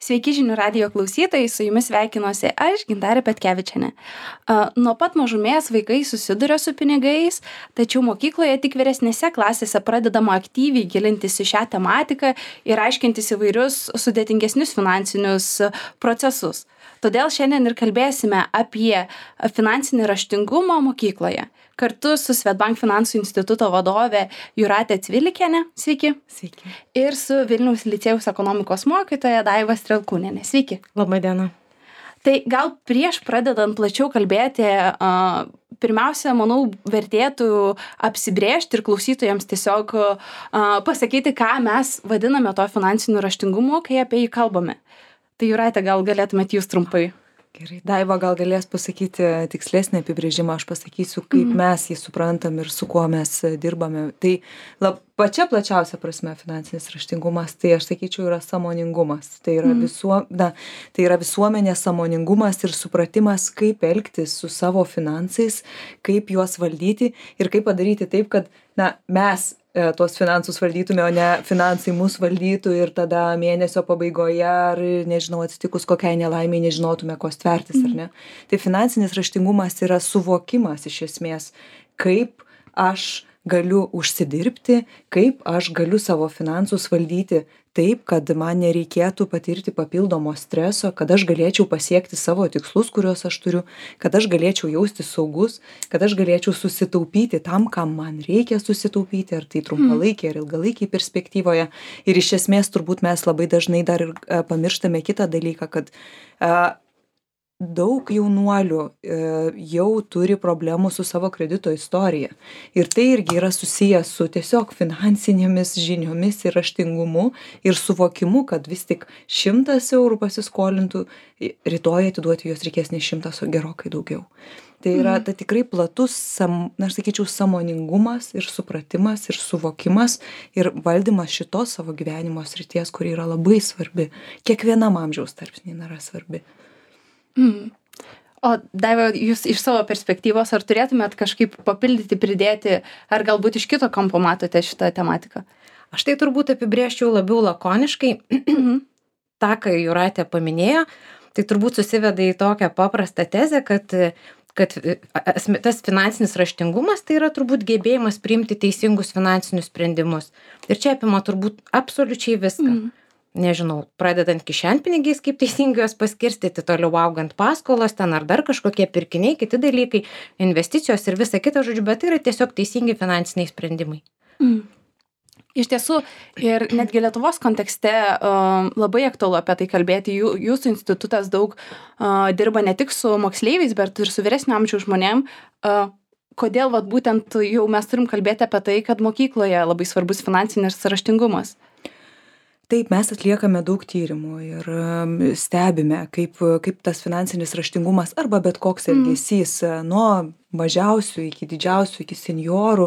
Sveiki žinių radijo klausytojai, su jumis sveikinuosi aš, Gintarė Petkevičienė. Nuo pat mažumės vaikai susiduria su pinigais, tačiau mokykloje tik vyresnėse klasėse pradedama aktyviai gilintis į šią tematiką ir aiškintis įvairius sudėtingesnius finansinius procesus. Todėl šiandien ir kalbėsime apie finansinį raštingumą mokykloje. Kartu su Swedbank finansų instituto vadove Jūrate Cvilikiene, sveiki. Sveiki. Ir su Vilniaus licėjaus ekonomikos mokytoja Daiva Strelkūnienė, sveiki. Labą dieną. Tai gal prieš pradedant plačiau kalbėti, pirmiausia, manau, vertėtų apsibrėžti ir klausytojams tiesiog pasakyti, ką mes vadiname to finansiniu raštingumu, kai apie jį kalbame. Tai Jūrate, gal galėtumėt jūs trumpai? Gerai, Daiva gal galės pasakyti tikslesnį apibrėžimą, aš pasakysiu, kaip mes jį suprantam ir su kuo mes dirbame. Tai pačia plačiausia prasme finansinis raštingumas, tai aš sakyčiau, yra sąmoningumas. Tai yra visuomenės sąmoningumas ir supratimas, kaip elgtis su savo finansais, kaip juos valdyti ir kaip padaryti taip, kad mes tuos finansus valdytume, o ne finansai mus valdytų ir tada mėnesio pabaigoje ar, nežinau, atsitikus kokiai nelaimiai nežinotume, ko stvertis, ar ne. Tai finansinis raštingumas yra suvokimas iš esmės, kaip aš galiu užsidirbti, kaip aš galiu savo finansus valdyti taip, kad man nereikėtų patirti papildomo streso, kad aš galėčiau pasiekti savo tikslus, kuriuos aš turiu, kad aš galėčiau jaustis saugus, kad aš galėčiau susitaupyti tam, kam man reikia susitaupyti, ar tai trumpalaikiai ar ilgalaikiai perspektyvoje. Ir iš esmės turbūt mes labai dažnai dar ir pamirštame kitą dalyką, kad daug jaunuolių jau turi problemų su savo kredito istorija. Ir tai irgi yra susijęs su tiesiog finansinėmis žiniomis ir raštingumu ir suvokimu, kad vis tik 100 eurų pasiskolintų, rytoj atiduoti juos reikės ne 100, o gerokai daugiau. Tai yra tikrai platus, aš sakyčiau, sąmoningumas ir supratimas ir suvokimas ir valdymas šitos savo gyvenimo srities, kuri yra labai svarbi. Kiekvienam amžiaus tarpsniui yra svarbi. O Daiva, jūs iš savo perspektyvos, ar turėtumėt kažkaip papildyti, pridėti, ar galbūt iš kito kampo matote šitą tematiką? Aš tai turbūt apibrėžčiau labiau lakoniškai. Ta, ką Jūratė paminėjo, tai turbūt susiveda į tokią paprastą tezę, kad tas finansinis raštingumas tai yra turbūt gebėjimas priimti teisingus finansinius sprendimus. Ir čia apima turbūt absoliučiai viską. Nežinau, pradedant kišenpinigiais, kaip teisingai juos paskirstyti, toliau augant paskolos, ten ar dar kažkokie pirkiniai, kiti dalykai, investicijos ir visa kita, žodžiu, bet tai yra tiesiog teisingi finansiniai sprendimai. Iš tiesų, ir netgi Lietuvos kontekste labai aktualu apie tai kalbėti. Jūsų institutas daug dirba ne tik su moksleiviais, bet ir su vyresnio amžiaus žmonėm. Kodėl būtent jau mes turim kalbėti apie tai, kad mokykloje labai svarbus finansinis raštingumas? Taip, mes atliekame daug tyrimų ir stebime, kaip tas finansinis raštingumas arba bet koks elgesys nuo mažiausių iki didžiausių, iki seniorų,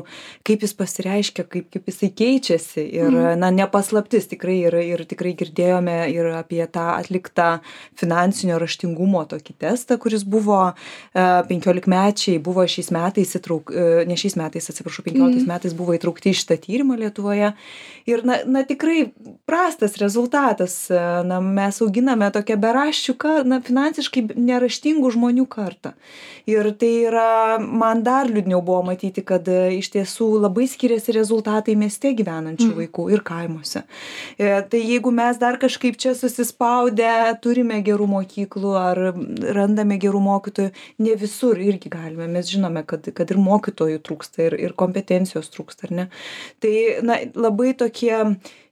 kaip jis pasireiškia, kaip jisai keičiasi ir, nepaslaptis tikrai ir tikrai girdėjome ir apie tą atliktą finansinio raštingumo tokį testą, kuris buvo 15-mečiai, buvo šiais metais 15 metais buvo įtraukti į šitą tyrimą Lietuvoje ir, tikrai prastas rezultatas, mes auginame tokią beraščių, finansiškai neraštingų žmonių kartą. Ir tai yra, man dar liūdniau buvo matyti, kad iš tiesų labai skiriasi rezultatai mieste gyvenančių vaikų ir kaimuose. Tai jeigu mes dar kažkaip čia susispaudę, turime gerų mokyklų ar randame gerų mokytojų, ne visur irgi galime. Mes žinome, kad ir mokytojų trūksta ir kompetencijos trūksta, ar ne? Tai labai tokie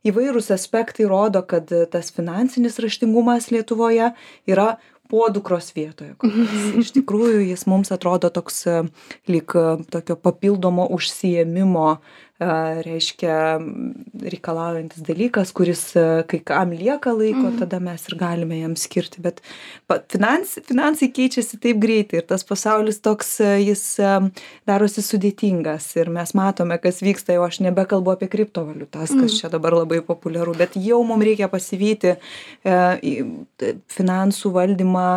įvairūs aspektai rodo, kad tas finansinis raštingumas Lietuvoje yra podukros vietoje. Iš tikrųjų, jis mums atrodo toks lyg tokio papildomo užsiėmimo, reiškia reikalaujantis dalykas, kuris kai kam lieka laiko, tada mes ir galime jam skirti. Bet finansai keičiasi taip greitai ir tas pasaulis toks, jis darosi sudėtingas ir mes matome, kas vyksta, jau aš nebekalbu apie kriptovaliutas, kas čia dabar labai populiaru, bet jau mums reikia pasivyti finansų valdymą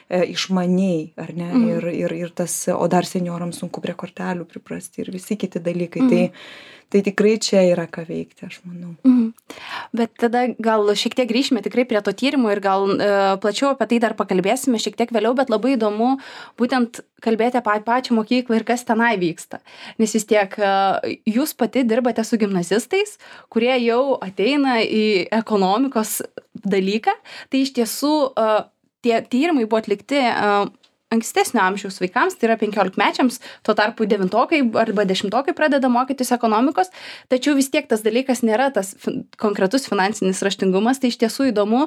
išmaniai, ar ne? Ir tas, o dar seniorams sunku prie kortelių priprasti ir visi kiti dalykai. Tai tikrai čia yra ką veikti, aš manau. Bet tada gal šiek tiek grįžime tikrai prie to tyrimo ir gal plačiau apie tai dar pakalbėsime šiek tiek vėliau, bet labai įdomu būtent kalbėti apie pačią mokyklą ir kas tenai vyksta. Nes vis tiek jūs pati dirbate su gimnazistais, kurie jau ateina į ekonomikos dalyką. Tai iš tiesų tie tyrimai buvo atlikti ankstesnio amžiaus vaikams, tai yra 15-mečiams, tuo tarpu 9-okai arba 10-okai pradeda mokytis ekonomikos, tačiau vis tiek tas dalykas nėra tas konkretus finansinis raštingumas, tai iš tiesų įdomu,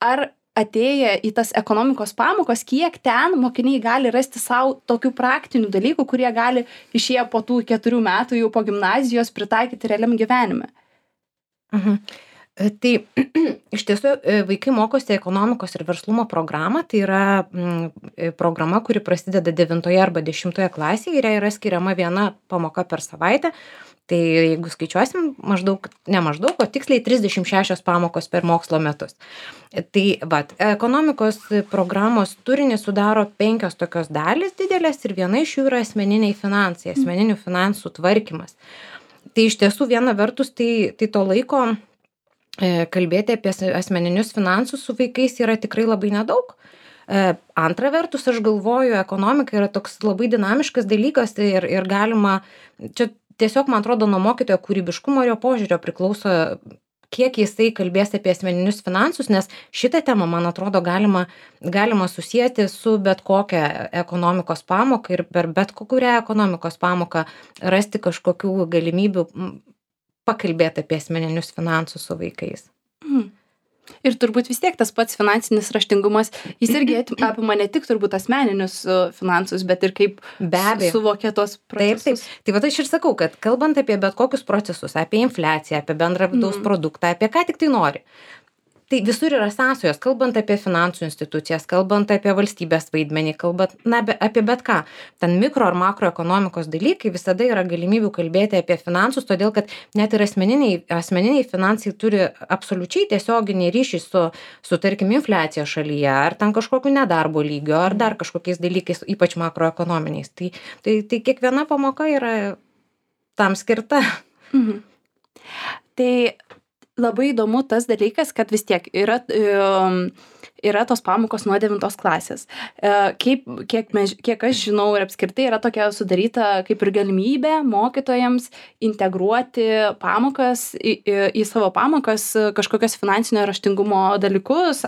ar atėję į tas ekonomikos pamokos, kiek ten mokiniai gali rasti savo tokių praktinių dalykų, kurie gali išėję po tų 4 metų jau po gimnazijos pritaikyti realiam gyvenime. Tai iš tiesų vaikai mokosi ekonomikos ir verslumo programą, tai yra programa, kuri prasideda 9 arba 10 klasėje ir yra skiriama viena pamoka per savaitę. Tai jeigu skaičiuosim, o tiksliai 36 pamokos per mokslo metus. Tai ekonomikos programos turinį sudaro 5 tokios dalys didelės ir viena iš jų yra asmeniniai finansai, asmeninių finansų tvarkymas. Tai iš tiesų viena vertus tai to laiko kalbėti apie asmeninius finansus su vaikais yra tikrai labai nedaug. Antra vertus, aš galvoju, ekonomika yra toks labai dinamiškas dalykas ir galima, čia tiesiog, man atrodo, nuo mokytojo kūrybiškumo ir jo požiūrio priklauso, kiek jisai kalbės apie asmeninius finansus, nes šitą temą, man atrodo, galima susijęti su bet kokią ekonomikos pamoką ir per bet kurią ekonomikos pamoką rasti kažkokių galimybių pakalbėti apie asmeninius finansus su vaikais. Ir turbūt vis tiek tas pats finansinis raštingumas, jis irgi apima ne tik turbūt asmeninius finansus, bet ir kaip suvokia tos procesus. Taip. Tai aš ir sakau, kad kalbant apie bet kokius procesus, apie infliaciją, apie bendrą vidaus produktą, apie ką tik tai nori. Tai visur yra sąsajos, kalbant apie finansų institucijas, kalbant apie valstybės vaidmenį, kalbant apie bet ką. Ten mikro ar makroekonomikos dalykai visada yra galimybių kalbėti apie finansus, todėl kad net ir asmeniniai finansai turi absoliučiai tiesioginį ryšį su tarkim, infliacija šalyje, ar ten kažkokiu nedarbo lygio, ar dar kažkokiais dalykais, ypač makroekonominiais. Tai kiekviena pamoka yra tam skirta. Tai labai įdomu tas dalykas, kad vis tiek yra tos pamokos nuo 9 klasės. Kiek aš žinau ir apskritai yra tokia sudaryta kaip ir galimybė mokytojams integruoti pamokas į savo pamokas kažkokios finansinio raštingumo dalykus,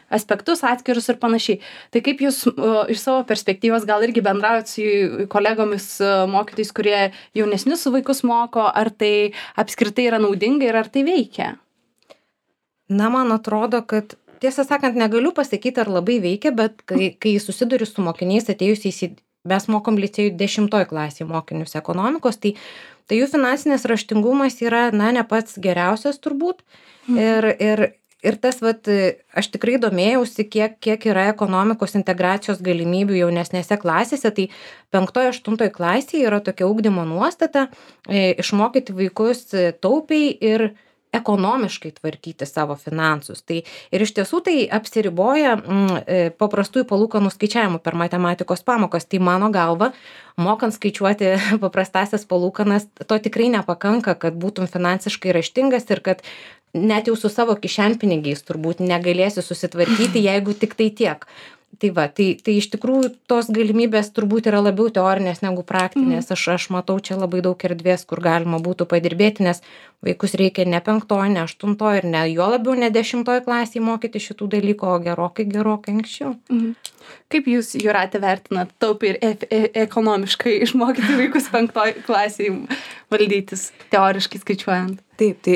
aspektus atskirus ir panašiai. Tai kaip jūs iš savo perspektyvos gal irgi bendraujat su kolegomis mokytojais, kurie jaunesnius vaikus moko, ar tai apskritai yra naudinga ir ar tai veikia? Na, man atrodo, kad tiesą sakant, negaliu pasakyti, ar labai veikia, bet kai susiduriu su mokiniais atėjusiais, mes mokom licėjų 10 klasėje mokinius ekonomikos, tai jų finansinis raštingumas yra, ne pats geriausias turbūt. Ir tas, aš tikrai domėjausi, kiek yra ekonomikos integracijos galimybių jaunesnėse klasėse, tai 5-8 klasėje yra tokia ugdymo nuostata išmokyti vaikus taupiai ir ekonomiškai tvarkyti savo finansus. Ir iš tiesų tai apsiriboja paprastųjų palūkanų skaičiavimų per matematikos pamokas. Tai mano galva, mokant skaičiuoti paprastasias palūkanas, to tikrai nepakanka, kad būtum finansiškai raštingas ir kad net jau su savo kišenpinigiais turbūt negalėsi susitvarkyti, jeigu tik tai tiek. Tai iš tikrųjų tos galimybės turbūt yra labiau teorinės negu praktinės. Aš matau čia labai daug erdvės, kur galima būtų padirbėti, nes vaikus reikia ne 5, ne 8 ir ne jo labiau ne 10 klasėje mokyti šitų dalykų, o gerokai anksčiau. Kaip jūs, Jūrate, vertinat taupiai ir ekonomiškai išmokyti vaikus 5 klasėje valdytis, teoriškai skaičiuojant? Taip, tai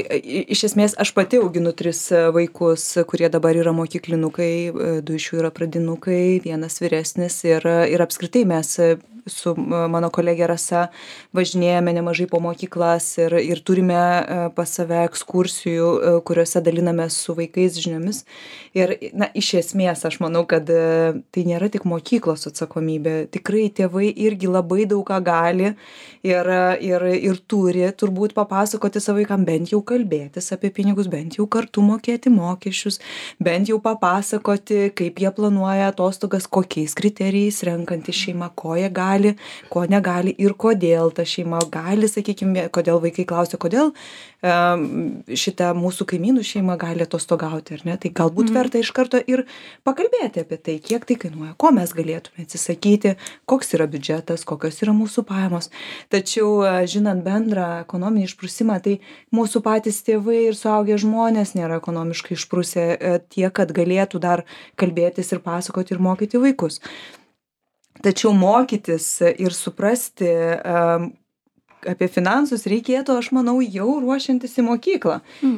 iš esmės aš pati auginu 3 vaikus, kurie dabar yra mokyklinukai, 2 iš jų yra pradinukai, 1 vyresnis ir apskritai mes su mano kolegė Rasa važinėjame nemažai po mokyklas ir turime pas save ekskursijų, kuriuose dalinamės su vaikais žiniomis. Ir iš esmės aš manau, kad tai nėra tik mokyklos atsakomybė. Tikrai tėvai irgi labai daug ką gali ir turi turbūt papasakoti savo vaikam, bent jau kalbėtis apie pinigus, bent jau kartu mokėti mokesčius, bent jau papasakoti, kaip jie planuoja atostogas, kokiais kriterijais renkantys šeima, ko jie gali, ko negali ir kodėl ta šeima gali, sakykime, kodėl vaikai klausia, kodėl šitą mūsų kaimynų šeima gali atostogauti, ar ne? Tai galbūt verta iš karto ir pakalbėti apie tai, kiek tai kainuoja, ko mes galėtume atsisakyti, koks yra biudžetas, kokios yra mūsų pajamos. Tačiau, žinant bendrą ekonominį išprusimą, tai mūsų patys tėvai ir suaugę žmonės nėra ekonomiškai išprusę tiek, kad galėtų dar kalbėtis ir pasakoti ir mokyti vaikus. Tačiau mokytis ir suprasti apie finansus reikėtų, aš manau, jau ruošiantis į mokyklą.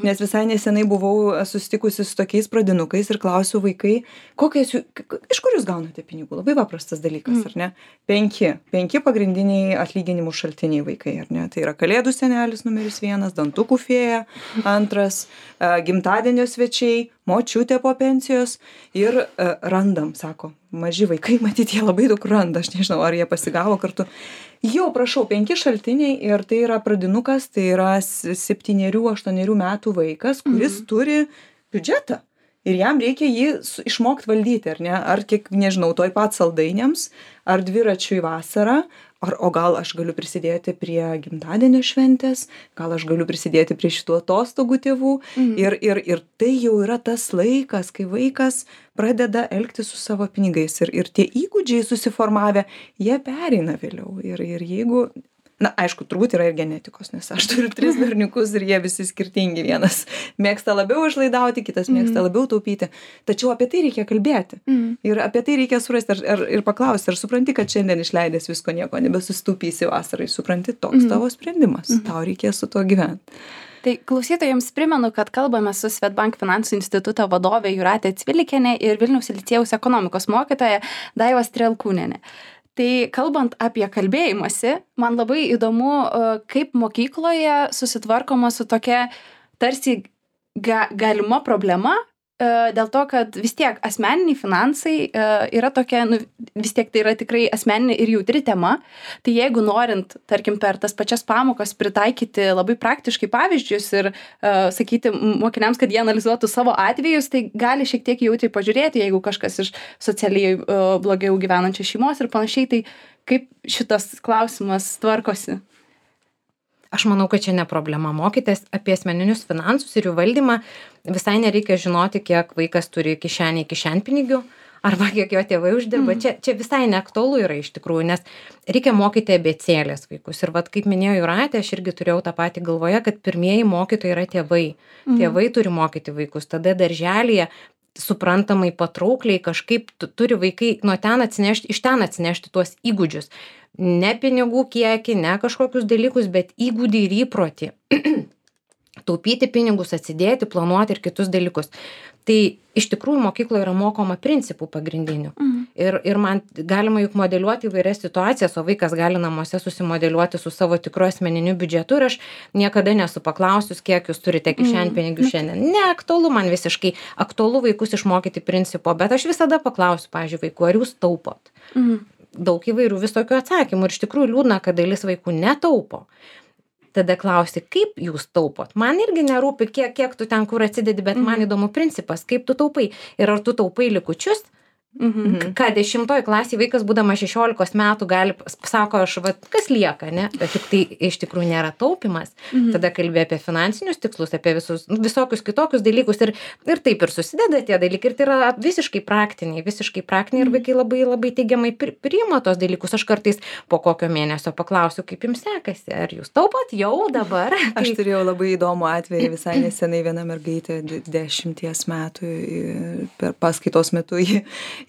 Nes visai nesenai buvau susitikusi su tokiais pradinukais ir klausiu vaikai, iš kur jūs gaunate pinigų? Labai paprastas dalykas, ar ne? 5 pagrindiniai atlyginimų šaltiniai vaikai, ar ne? Tai yra kalėdų senelis numeris 1, dantukų fėja, 2, gimtadienio svečiai, močiutė po pensijos ir randam, sako. Maži vaikai, matyt, jie labai daug randa, aš nežinau, ar jie pasigavo kartu. Jau, prašau, 5 šaltiniai ir tai yra pradinukas, tai yra 7-8 metų vaikas, kuris turi biudžetą. Ir jam reikia jį išmokti valdyti, ar ne? Ar kiek, nežinau, toj pat saldainiams, ar dviračiui vasarą, o gal aš galiu prisidėti prie gimtadienio šventės, gal aš galiu prisidėti prie šitų atostogų tėvų. Ir tai jau yra tas laikas, kai vaikas pradeda elgtis su savo pinigais. Ir tie įgūdžiai susiformavę, jie pereina vėliau. Ir jeigu... Na, aišku, turbūt yra ir genetikos, nes aš turiu 3 berniukus ir jie visi skirtingi. Vienas mėgsta labiau išlaidauti, kitas mėgsta labiau taupyti. Tačiau apie tai reikia kalbėti. Ir apie tai reikia surasti ir paklausti, ar supranti, kad šiandien išleidęs visko nieko nebesusitaupysi vasarai. Supranti, toks tavo sprendimas. Tau reikės su tuo gyventi. Tai klausytojams primenu, kad kalbame su Swedbank finansų instituto vadovė Jūratė Cvilikienė ir Vilniaus licėjaus ekonomikos mokytoja Daiva Strelkūnienė. Tai kalbant apie kalbėjimąsi, man labai įdomu, kaip mokykloje susitvarkoma su tokia tarsi galima problema, dėl to, kad vis tiek asmeniniai finansai yra tokia, vis tiek tai yra tikrai asmeninė ir jautri tema. Tai jeigu norint, tarkim, per tas pačias pamokas pritaikyti labai praktiškai pavyzdžius ir sakyti mokiniams, kad jie analizuotų savo atvejus, tai gali šiek tiek jautriai pažiūrėti, jeigu kažkas iš socialiai blogiau gyvenančios šeimos ir panašiai, tai kaip šitas klausimas tvarkosi? Aš manau, kad čia ne problema mokytis apie asmeninius finansus ir jų valdymą. Visai nereikia žinoti, kiek vaikas turi kišenpinigių arba kiek jo tėvai uždirba. Čia visai neaktualu yra iš tikrųjų, nes reikia mokyti abėcėlės vaikus. Ir vat, kaip minėjo Jūratė, aš irgi turėjau tą patį galvoje, kad pirmieji mokytojai yra tėvai. Tėvai turi mokyti vaikus. Tada darželyje suprantamai, patraukliai kažkaip turi vaikai iš ten atsinešti tuos įgūdžius. Ne pinigų kiekį, ne kažkokius dalykus, bet įgūdį ir įprotį. Taupyti pinigus, atsidėti, planuoti ir kitus dalykus. Tai iš tikrųjų mokykloje yra mokoma principų pagrindinių. Ir man galima juk modeliuoti įvairias situacijas, o vaikas gali namuose susimodeliuoti su savo tikru asmeniniu biudžetu ir aš niekada nesu paklausius, kiek jūs turite kišenpinigių šiandien. Ne, aktualu man visiškai, aktualu vaikus išmokyti principo, bet aš visada paklausiu, pavyzdžiui, vaikų, ar jūs taupot? Daug įvairių visokių atsakymų ir iš tikrųjų liūdna, kad dalis vaikų netaupo. Tada klausi, kaip jūs taupot? Man irgi nerūpi, kiek tu ten kur atsidedi, bet man įdomu principas, kaip tu taupai. Ir ar tu taupai likučius? Ką 10 klasėje vaikas, būdamas 16 metų, gali, sako, aš, kas lieka, ne? Bet juk tai iš tikrųjų nėra taupimas. Tada kalbė apie finansinius tikslus, apie visokius kitokius dalykus ir taip ir susideda tie dalykai. Ir tai yra visiškai praktiniai ir vaikai labai, labai teigiamai priima tos dalykus. Aš kartais po kokio mėnesio paklausiu, kaip jums sekasi, ar jūs taupot jau dabar? Aš turėjau labai įdomų atvejį visai nesenai, viena mergaitė 10 metų per paskaitos metu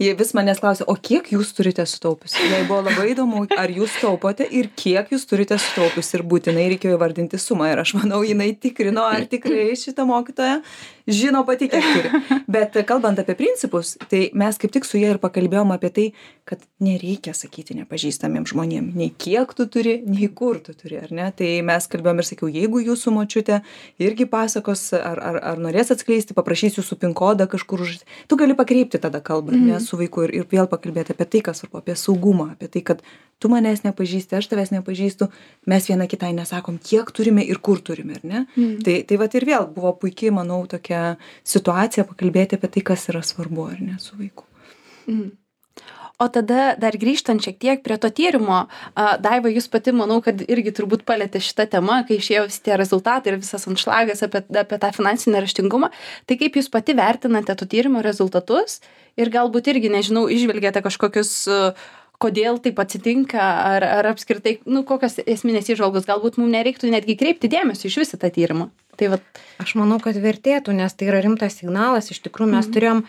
jie vis manęs klausė, o kiek jūs turite sutaupius? Jai buvo labai įdomu, ar jūs taupote ir kiek jūs turite sutaupius ir būtinai reikėjo įvardinti sumą. Ir aš manau, jinai tikrino, ar tikrai šitą mokytoją žino pati, kiek turi. Bet kalbant apie principus, tai mes kaip tik su jie ir pakalbėjom apie tai, kad nereikia sakyti nepažįstamiems žmonėms, nei kiek tu turi, nei kur tu turi, ar ne? Tai mes kalbėjom ir sakiau, jeigu jūsų močiutė irgi pasakos, ar norės atskleisti, paprašys jūsų PIN kodą kažkur, tu gali pakreipti tada kalbą, nes su vaiku ir vėl pakalbėti apie tai, kas svarbu, apie saugumą, apie tai, kad tu manęs nepažįsti, aš tavęs nepažįstu, mes viena kitai nesakom, kiek turime ir kur turime, ar ne? Tai vat ir vėl buvo puikiai, manau, tokia situacija pakalbėti apie tai, kas yra svarbu, ar ne, su vaiku. O tada dar grįžtant šiek tiek prie to tyrimo, Daiva, jūs pati, manau, kad irgi turbūt palėtė šitą temą, kai išėjo visi tie rezultatai ir visas anšlagas apie tą finansinį raštingumą. Tai kaip jūs pati vertinate to tyrimo rezultatus ir galbūt irgi, nežinau, išvelgėte kažkokius, kodėl taip atsitinka, ar apskritai, kokios esminės įžvalgos, galbūt mums nereiktų netgi kreipti dėmesio iš visą tą tyrimą. Tai vat... Aš manau, kad vertėtų, nes tai yra rimtas signalas. Iš tikrųjų, mes turėjom...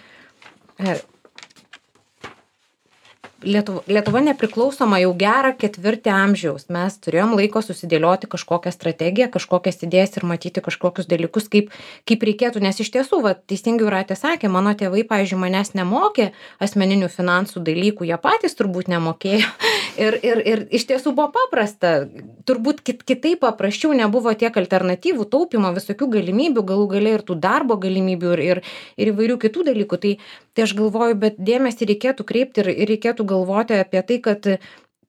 Lietuva nepriklausoma jau gerą ketvirtį amžiaus. Mes turėjom laiko susidėlioti kažkokią strategiją, kažkokias idėjas ir matyti kažkokius dalykus, kaip reikėtų. Nes iš tiesų, teisingai Jūratė sakė, mano tėvai, pavyzdžiui, manęs nemokė asmeninių finansų dalykų, jie patys turbūt nemokėjo. Ir iš tiesų buvo paprasta. Turbūt kitaip paprasčiau, nebuvo tiek alternatyvų, taupimo, visokių galimybių, galų gale ir tų darbo galimybių ir įvairių kitų dalykų. Tai aš galvoju, bet dėmesį reikėtų kreipti ir reikėtų galvoti apie tai, kad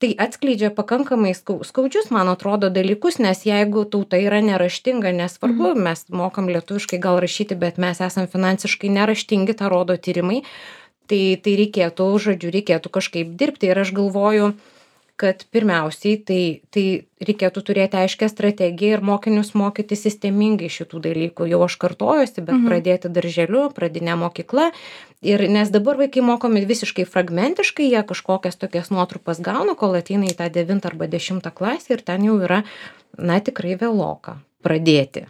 tai atskleidžia pakankamai skaudžius, man atrodo, dalykus, nes jeigu tauta yra neraštinga, nesvarbu, mes mokam lietuviškai gal rašyti, bet mes esam finansiškai neraštingi, tą rodo tyrimai, tai reikėtų kažkaip dirbti. Ir aš galvoju, kad pirmiausiai tai reikėtų turėti aiškę strategiją ir mokinius mokyti sistemingai šitų dalykų. Jau aš kartojuosi, bet pradėti darželiu, pradinė mokykla. Ir nes dabar vaikai mokomi visiškai fragmentiškai, jie kažkokias tokias nuotrupas gauna, kol ateina į tą 9 arba 10 klasę ir ten jau yra, tikrai vėloka pradėti.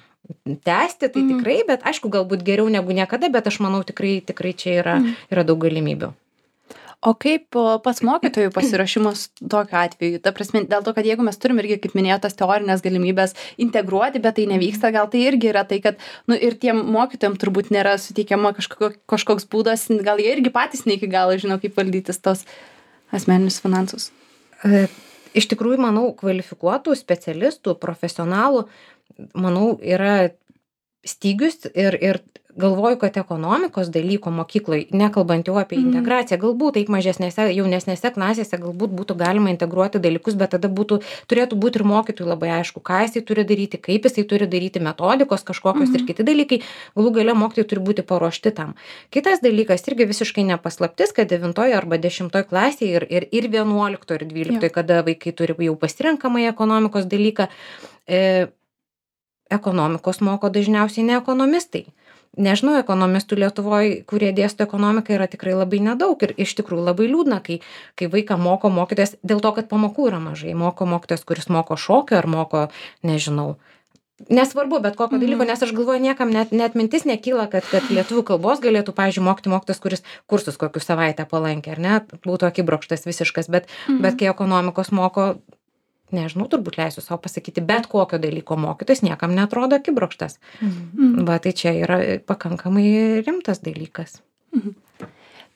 Tęsti tai tikrai, bet aišku, galbūt geriau negu niekada, bet aš manau tikrai čia yra daug galimybių. O kaip pats mokytojų pasiruošimas tokiu atveju? Ta prasme, dėl to, kad jeigu mes turim irgi, kaip minėjau, tas teorinės galimybės integruoti, bet tai nevyksta, gal tai irgi yra tai, kad ir tiem mokytojams turbūt nėra suteikiama kažkoks būdas, gal jie irgi patys ne iki galo žino, kaip valdytis tos asmeninius finansus. Iš tikrųjų, manau, kvalifikuotų specialistų, profesionalų, manau, yra stygius ir galvoju, kad ekonomikos dalyko mokykloje, nekalbant jau apie integraciją, galbūt taip mažesnėse, jaunesnėse klasėse galbūt būtų galima integruoti dalykus, bet tada turėtų būti ir mokytojui labai aišku, ką jisai turi daryti, kaip jisai turi daryti, metodikos kažkokios ir kiti dalykai, galų gale mokytojai turi būti paruošti tam. Kitas dalykas irgi visiškai nepaslaptis, kad 9 arba 10 klasėje ir 11 ir 12, kada vaikai turi jau pasirenkamąjį ekonomikos dalyką, ekonomikos moko dažniausiai ne ekonomistai. Nežinau, ekonomistų Lietuvoje, kurie dėsto ekonomiką, yra tikrai labai nedaug ir iš tikrųjų labai liūdna, kai vaiką moko mokytojas, dėl to, kad pamokų yra mažai. Moko mokytojas, kuris moko šokio ar moko, nežinau, nesvarbu, bet kokio dalyko, nes aš galvoju, niekam net mintis nekyla, kad lietuvių kalbos galėtų, pavyzdžiui, mokyti mokytojas, kuris kursus kokius savaitę palankė, ar ne, būtų akibrokštas visiškas, bet kai ekonomikos moko, nežinau, turbūt leisiu savo pasakyti, bet kokio dalyko mokytojas niekam neatrodo akibrokštas. Va, tai čia yra pakankamai rimtas dalykas.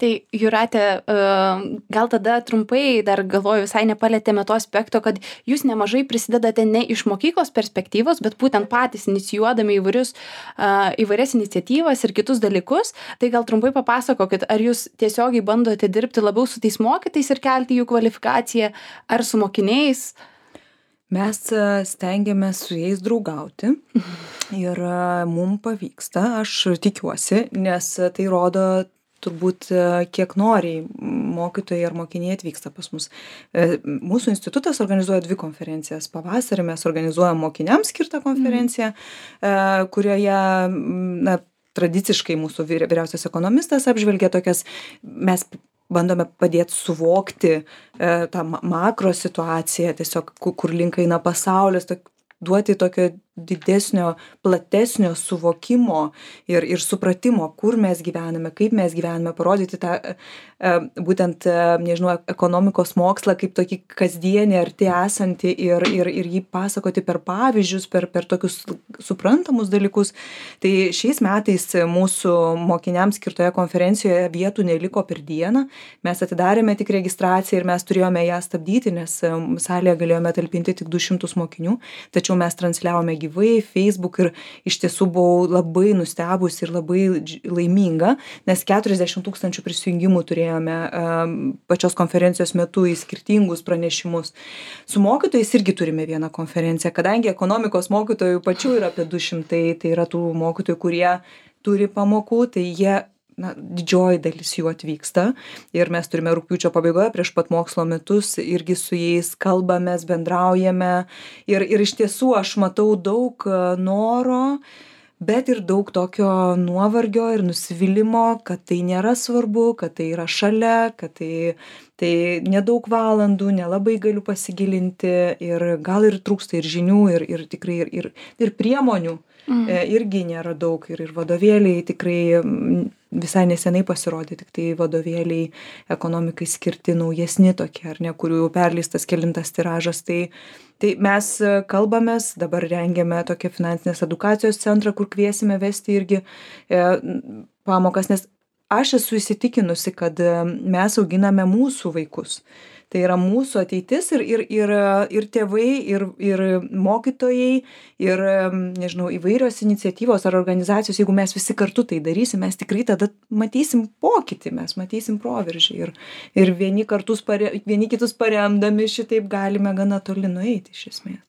Tai Jūrate, gal tada trumpai dar galvoju, visai nepalėtėme to aspekto, kad jūs nemažai prisidedate ne iš mokyklos perspektyvos, bet būtent patys inicijuodami įvairias iniciatyvas ir kitus dalykus. Tai gal trumpai papasakokit, ar jūs tiesiogiai bandote dirbti labiau su tais mokytais ir kelti jų kvalifikaciją, ar su mokiniais? Mes stengiamės su jais draugauti ir mums pavyksta, aš tikiuosi, nes tai rodo turbūt kiek noriai mokytojai ar mokiniai atvyksta pas mus. Mūsų institutas organizuoja 2 konferencijas. Pavasarį mes organizuojam mokiniams skirtą konferenciją, kurioje tradiciškai mūsų vyriausias ekonomistas apžvelgia tokias, mes bandome padėti suvokti tą makro situaciją, tiesiog kur link eina pasaulis, duoti tokio didesnio, platesnio suvokimo ir supratimo, kur mes gyvename, kaip mes gyvename, parodyti tą būtent, nežinau, ekonomikos mokslą kaip tokį kasdienį arti esantį ir jį pasakoti per pavyzdžius, per tokius suprantamus dalykus. Tai šiais metais mūsų mokiniams skirtoje konferencijoje vietų neliko per dieną. Mes atidarėme tik registraciją ir mes turėjome ją stabdyti, nes salėje galėjome talpinti tik 200 mokinių, tačiau mes transliavome gyvai gyvai Facebook ir iš tiesų buvau labai nustebusi ir labai laiminga, nes 40 000 prisijungimų turėjome pačios konferencijos metu į skirtingus pranešimus. Su mokytojais irgi turime vieną konferenciją, kadangi ekonomikos mokytojų pačių yra apie 200, tai yra tų mokytojų, kurie turi pamokų, tai jie didžioji dalis jų atvyksta ir mes turime rugpjūčio pabaigoje prieš pat mokslo metus irgi su jais kalbamės, bendraujame ir iš tiesų aš matau daug noro, bet ir daug tokio nuovargio ir nusivylimo, kad tai nėra svarbu, kad tai yra šalia, kad tai nedaug valandų, nelabai galiu pasigilinti ir gal ir trūksta ir žinių ir tikrai ir priemonių. Irgi nėra daug ir vadovėliai tikrai visai nesenai pasirodė, tik tai vadovėliai ekonomikai skirti naujesni tokie, ar ne, kurių jau perleistas kelintas tiražas. Tai mes kalbamės, dabar rengiame tokią finansinės edukacijos centrą, kur kviesime vesti irgi pamokas, nes aš esu įsitikinusi, kad mes auginame mūsų vaikus. Tai yra mūsų ateitis ir tėvai, ir mokytojai, ir, nežinau, įvairios iniciatyvos ar organizacijos, jeigu mes visi kartu tai darysim, mes tikrai tada matysim pokytį, mes matysim proveržį ir vieni kitus paremdami šitaip galime gana toli nueiti iš esmės.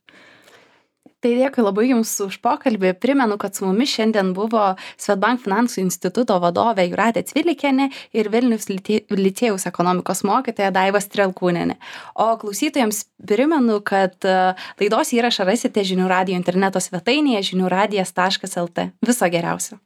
Tai dėkui labai Jums už pokalbį. Primenu, kad su mumis šiandien buvo Swedbank finansų instituto vadovė Jūratė Cvilikienė ir Vilniaus licėjaus ekonomikos mokytoja Daiva Strelkūnienė. O klausytojams primenu, kad laidos įrašą rasite Žinių radijo interneto svetainėje žiniųradijas.lt. Viso geriausio.